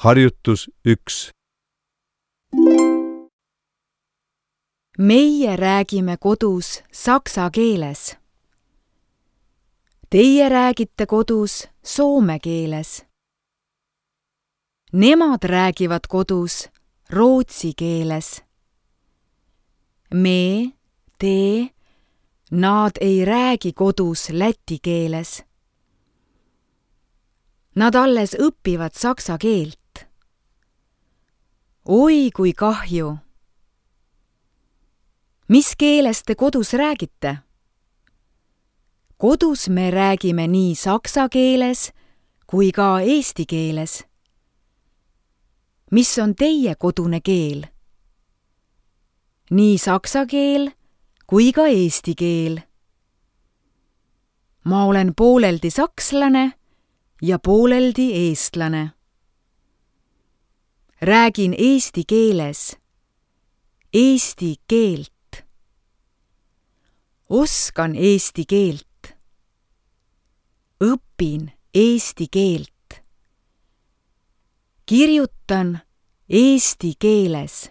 Harjutus 1. Meie räägime kodus saksa keeles. Teie räägite kodus soome keeles. Nemad räägivad kodus rootsi keeles. Me, te, nad ei räägi kodus läti keeles. Nad alles õpivad saksa keelt. Oi, kui kahju! Mis keeles te kodus räägite? Kodus me räägime nii saksa keeles kui ka eesti keeles. Mis on teie kodune keel? Nii saksa keel kui ka eesti keel. Ma olen pooleldi sakslane ja pooleldi eestlane. Räägin eesti keeles. Eesti keelt. Oskan eesti keelt. Õpin eesti keelt. Kirjutan eesti keeles.